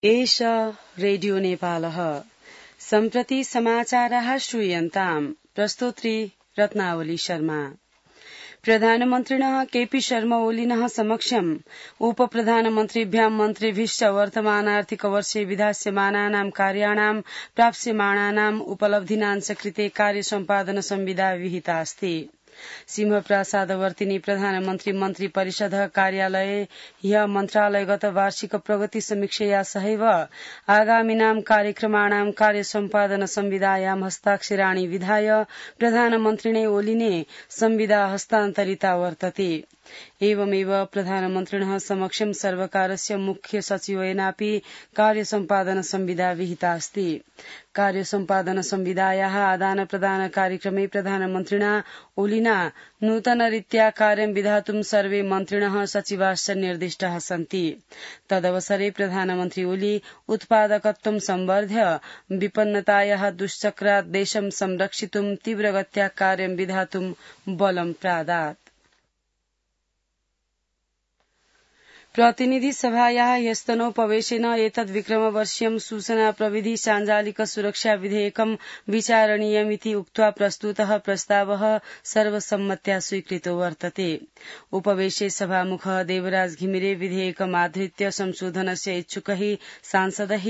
एष रेडियो नेपालः सम्प्रति समाचारः श्रूयन्ताम् प्रस्तोत्री रत्नावली शर्मा। प्रधानमन्त्रिणः केपी शर्मा ओलिनः समक्षम् उपप्रधानमन्त्रिभ्यां मन्त्रिभिश्च वर्तमानार्थिकवर्षे विधास्यमानानां कार्याणां प्राप्स्यमाणानाम् उपलब्धीनां च कृते कार्यसम्पादन संविदा विहिता अस्ति। सिंहप्रासादवर्तिनी प्रधानमन्त्री मन्त्री परिषद कार्यालये ह्य मन्त्रालयगत वार्षिक प्रगति समीक्षया सहैव आगामिनां कार्यक्रमाणां कार्यसम्पादन संविदायां हस्ताक्षराणि विधाय प्रधानमन्त्रिणे ओलिने संविदा हस्तान्तरिता वर्तते। एवमेव प्रधानमन्त्रिणः समक्षं सर्वकारस्य मुख्य सचिवेनापि कार्यसम्पादन संविदा विहिता अस्ति। कार्यसम्पादन संविदायाः आदान प्रदान कार्यक्रमे प्रधानमन्त्रिणा ओलिना नूतनरीत्या कार्यं विधातुं सर्वे मन्त्रिणः सचिवाश्च निर्दिष्टाः सन्ति। तदवसरे प्रधानमन्त्री ओली उत्पादकत्वं संवर्ध्य विपन्नतायाः दुश्चक्रात् देशं संरक्षितुं तीव्रगत्या कार्यं विधातुं बलं प्रादात्। प्रतिनिधि सभायाः ह्यस्तनोपवेशेन एतद् विक्रमवर्षीयं सूचना प्रविधि साञ्जालिक सुरक्षा विधेयकं विचारणीयमिति उक्त्वा प्रस्तुतः प्रस्तावः सर्वसम्मत्या स्वीकृतो वर्तते। उपवेशे सभामुखः देवराज घिमिरे विधेयकमाधृत्य संशोधनस्य इच्छुकैः सांसदैः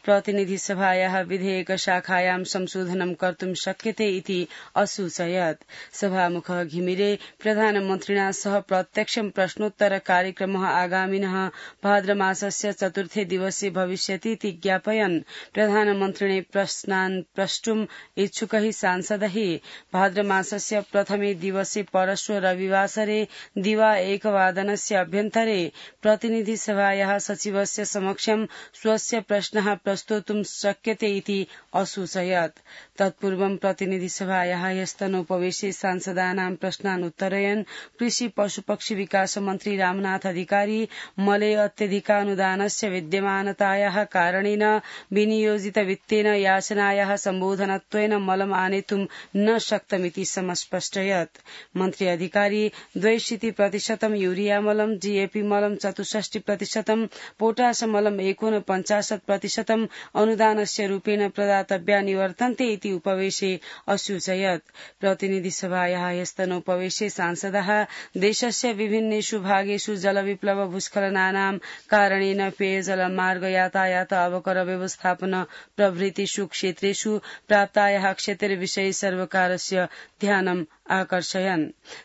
प्रतिनिधि सभायाः विधेयक शाखायां संशोधनं कर्तुं शक्यते इति असूचयत्। सभामुखः घिमिरे प्रधानमन्त्रिणा सह प्रत्यक्षं प्रश्नोत्तर कार्यक्रमः आगामिनः भाद्रमासस्य चतुर्थे दिवसे भविष्यतीति ज्ञापयन् प्रधानमन्त्रिणे प्रश्नान् प्रष्टुम् इच्छुकैः सांसदैः भाद्रमासस्य प्रथमे दिवसे परश्व रविवासरे दिवा 1:00 अभ्यन्तरे प्रतिनिधि सभायाः सचिवस्य समक्षं स्वस्य प्रश्नः प्रस्तोतुं शक्यते इति असूचयत्। तत्पूर्वं प्रतिनिधि सभायाः ह्यस्तनोपवेशे सांसदानां प्रश्नान् उत्तरयन् कृषि पशुपक्षी विकास मन्त्री रामनाथ अधिकारी मलय अत्यधिकानुदानस्य विद्यमानतायाः कारणेन विनियोजित वित्तेन याचनायाः सम्बोधनत्वेन मलम् आनेतुं न शक्तमिति समस्पष्टयत्। मन्त्री अधिकारी 62% यूरिया मलम, जीएपी मलम 64%, पोटाश मलम 49% अनुदानस्य रूपेण प्रदातव्यानि वर्तन्ते इति उपवेशे असूचयत्। प्रतिनिधि सभायाः ह्यस्तनोपवेशे सांसदाः देशस्य विभिन्नेषु भागेषु जलविप्लव भूस्खलनानां कारणेन पेयजल मार्ग यातायात अवकर व्यवस्थापन प्रभृतिषु क्षेत्रेषु प्राप्तायाः क्षतिर्विषये सर्वकारस्य ध्यानम् आकर्षयन्।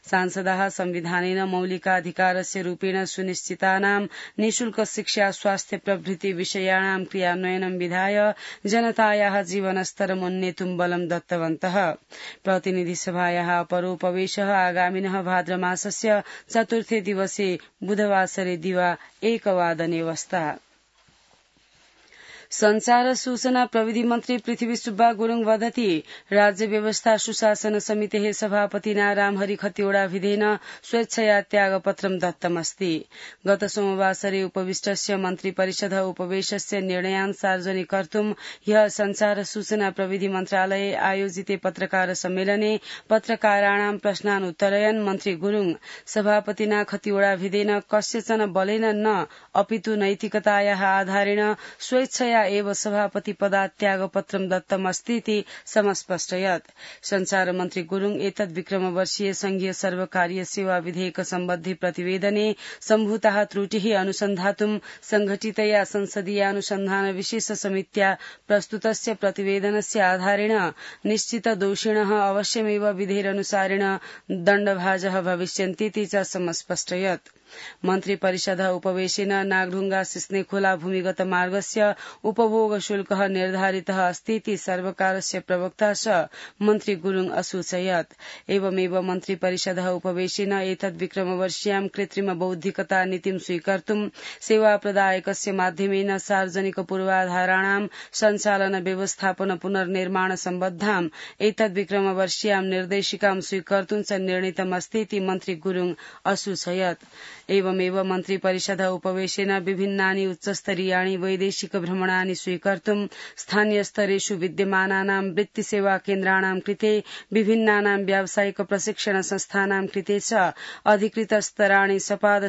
सांसदाः संविधानेन मौलिकाधिकारस्य रूपेण सुनिश्चितानां निःशुल्क शिक्षा स्वास्थ्य प्रभृति विषयाणां क्रियान्वयनं विधाय जनतायाः जीवनस्तरम् उन्नेतुं बलं दत्तवन्तः। प्रतिनिधि सभायाः अपरोपवेशः आगामिनः भाद्रमासस्य चतुर्थे दिवसे बुधवासरे दिवा 1:00 वस्ता। संचार सूचना प्रविधि मन्त्री पृथ्वी सुब्बा गुरुङ वदति राज्य व्यवस्था सुशासन समितेः सभापतिना रामहरि खतिवड़ाभिधेन स्वेच्छया त्यागपत्रं दत्तमस्ति। गत सोमवासरे उपविष्टस्य मन्त्री परिषद उपवेशस्य निर्णयान् सार्वजनिक कर्तुं ह्यः संचार सूचना प्रविधि मन्त्रालये आयोजिते पत्रकार सम्मेलने पत्रकाराणां प्रश्नान् उत्तरयन् मन्त्री गुरुङ सभापतिना खतिवड़ाभिधेन कस्यचन बलेन न अपितु नैतिकतायाः आधारेण स्वेच्छया एव सभापति पदात् त्यागपत्रं दत्तमस्तीति समस्पष्टयत्। संचार मन्त्री गुरुङ एतद् विक्रमवर्षीय संघीय सर्वकारीय सेवा विधेयक सम्बद्धि प्रतिवेदने सम्भूताः त्रुटिः अनुसन्धातुं संघटितया संसदीयानुसन्धान विशेष समित्या प्रस्तुतस्य प्रतिवेदनस्य आधारेण निश्चित दोषिणः अवश्यमेव विधेयकानुसारेण दण्डभाजः भविष्यन्तीति च समस्पष्टयत्। मन्त्री परिषद उपवेशेन नागढुङ्गा सिस्ने खोला भूमिगत मार्गस्य उपभोग शुल्कः निर्धारितः अस्तीति सर्वकारस्य प्रवक्ता च मन्त्री गुरुङ असूचयत्। एवमेव मन्त्री परिषद उपवेशेन एतद् विक्रमवर्षीयां कृत्रिम बौद्धिकता नीतिं स्वीकर्तुं सेवा प्रदायकस्य माध्यमेन सार्वजनिक पूर्वाधाराणां सञ्चालन व्यवस्थापन पुनर्निर्माण सम्बद्धाम् एतद् विक्रमवर्षीयां निर्देशिकां स्वीकर्तुं च निर्णीतमस्तीति मन्त्री गुरुङ असूचयत्। एवमेव मन्त्री परिषद उपवेशेन विभिन्नानि उच्चस्तरीयाणि वैदेशिक भ्रमणानि स्वीकर्तुं स्थानीय स्तरेषु विद्यमानानां वृत्तिसेवा केन्द्राणां कृते विभिन्नानां व्यावसायिक प्रशिक्षण संस्थानां कृते च अधिकृत स्तराणि सपाद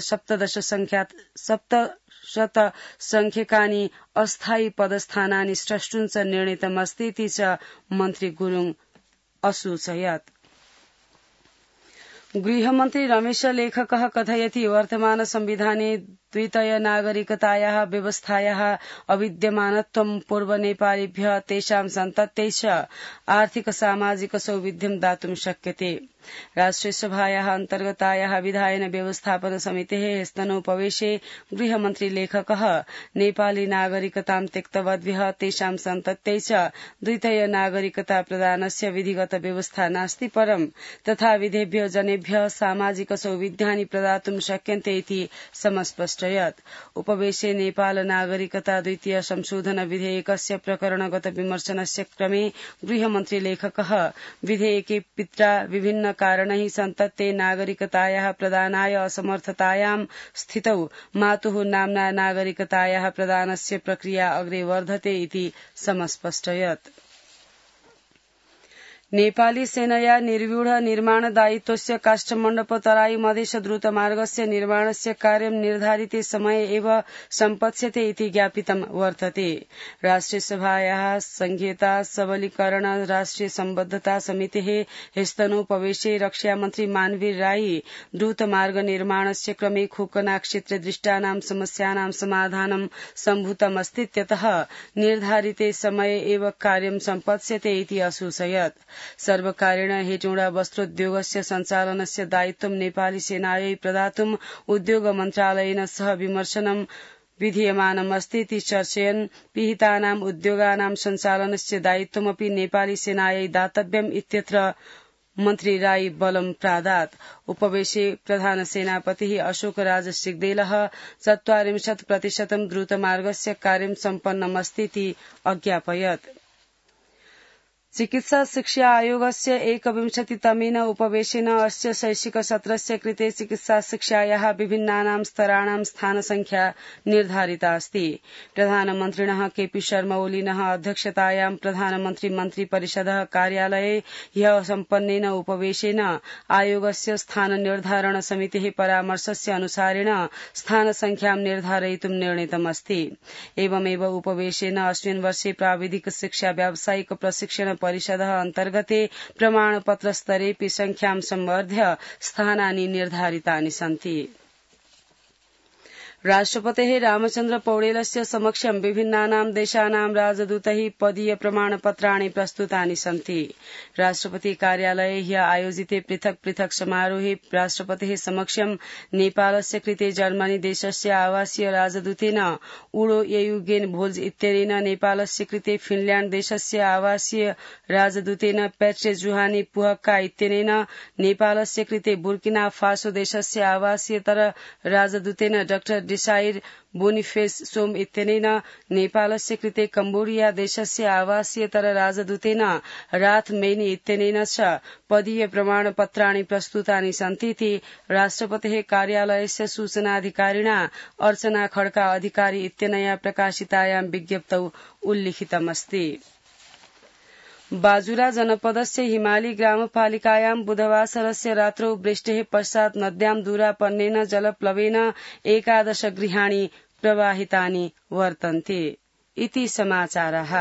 शतसंख्यकानि अस्थायी पदस्थानानि स्रष्टुञ्च निर्णीतमस्तीति च मन्त्री गुरुङ असूचयत्। गृहमन्त्री रमेश लेखकः कथयति वर्तमान संविधाने द्वितीय नागरिकतायाः व्यवस्थायाः अविद्यमानत्वं पूर्व नेपालीभ्यः तेषां सन्तत्यै च आर्थिक सामाजिक सौविध्यं दातुं शक्यते। राष्ट्रिय सभायाः अन्तर्गतायाः विधायन व्यवस्थापन समितेः स्तनोपवेशे गृहमन्त्री लेखकः नेपाली नागरिकतां त्यक्तवद्भ्यः तेषां सन्तत्यै च द्वितीय नागरिकता प्रदानस्य विधिगत व्यवस्था नास्ति परं तथा विधेभ्यो जनेभ्यः सामाजिक सौविध्यानि प्रदातुं शक्यन्ते इति समस्पष्टयत्। उपवेशे नेपाल नागरिकता द्वितीय संशोधन विधेयकस्य प्रकरणगत विमर्शनस्य क्रमे गृहमन्त्री लेखकः विधेयके पित्रा विभिन्न कारणैः सन्तत्ते नागरिकतायाः प्रदानाय असमर्थतायां स्थितौ मातुः नाम्ना नागरिकतायाः प्रदानस्य प्रक्रिया अग्रे वर्धते इति समस्पष्टयत्। नेपाली सेनया निर्व्यूढ निर्माण दायित्वस्य काष्ठमण्डप तराई मधेश द्रुतमार्गस्य निर्माणस्य कार्यं निर्धारिते समये एव सम्पत्स्यते इति ज्ञापितं वर्तते। राष्ट्रिय सभायाः संघीयता सबलीकरण राष्ट्रिय सम्बद्धता समितेः स्तनोपवेशे रक्षामन्त्री मानवीर राई द्रुतमार्ग निर्माणस्य क्रमे खोकना क्षेत्रे दृष्टानां समस्यानां समाधानं सम्भूतमस्तीत्यतः निर्धारिते समये एव कार्यं सम्पत्स्यते इति असूचयत्। सर्वकारेण हेटौडा वस्त्रोद्योगस्य सञ्चालनस्य दायित्वं नेपाली सेनायै प्रदातुं उद्योग मन्त्रालयेन सह विमर्शनं विधीयमानमस्तीति चर्चयन् पिहितानां उद्योगानां सञ्चालनस्य दायित्वमपि नेपाली सेनायै दातव्यम् इत्यत्र मन्त्री राई बलं प्रादात्। उपवेशे प्रधान सेनापतिः अशोक राज सिग्देलः 40% द्रुतमार्गस्य कार्यं सम्पन्नमस्तीति अज्ञापयत्। चिकित्सा शिक्षा आयोगस्य 21तमेन उपवेशेन अस्य शैक्षिक सत्रस्य कृते चिकित्सा शिक्षायाः विभिन्नानां स्तराणां स्थानसंख्या निर्धारिता अस्ति। प्रधानमन्त्रिणः केपी शर्मा ओलीनः अध्यक्षतायां प्रधानमन्त्री मन्त्रिपरिषदः कार्यालये ह्यः सम्पन्नेन उपवेशेन आयोगस्य स्थान निर्धारण समितेः परामर्शस्य अनुसारेण स्थानसंख्यां निर्धारयितुं निर्णीतमस्ति। एवमेव उपवेशेन अस्मिन् वर्षे प्राविधिक शिक्षा व्यावसायिक प्रशिक्षण परिषदः अन्तर्गते प्रमाणपत्र स्तरेऽपि संख्यां संवर्ध्य स्थानानि निर्धारितानि सन्ति। राष्ट्रपतेः रामचन्द्र पौडेलस्य समक्षं विभिन्नानां देशानां राजदूतैः पदीय प्रमाणपत्राणि प्रस्तुतानि सन्ति। राष्ट्रपति कार्यालये ह्यः आयोजिते पृथक् पृथक् समारोहे राष्ट्रपतेः समक्षं नेपालस्य कृते जर्मनी देशस्य आवासीय राजदूतेन उडो येयुगेन भोल्ज इत्यनेन नेपालस्य कृते फिनल्याण्ड देशस्य आवासीय राजदूतेन पेट्रे जुहानी पुहक्का इत्यनेन नेपालस्य कृते बुर्किना फासो देशस्य आवासीयतर राजदूतेन डाक्टर डिसाइर बोनिफेस सोम इत्यनेन नेपालस्य कृते कम्बोडिया देशस्य आवासीयतर राजदूतेन राथ मेनी इत्यनेन च पदीय प्रमाणपत्राणि प्रस्तुतानि सन्तीति राष्ट्रपतेः कार्यालयस्य सूचनाधिकारिणा अर्चना खड्का अधिकारी इत्यनया प्रकाशितायां विज्ञप्तौ उल्लिखितमस्ति। बाजुरा जनपदस्य हिमाली ग्रामपालिकायां बुधवासरस्य रात्रौ वृष्टेः पश्चात् नद्यां दूरापन्नेन जलप्लवेन 11 गृहाणि प्रवाहितानि वर्तन्ते। इति समाचारः।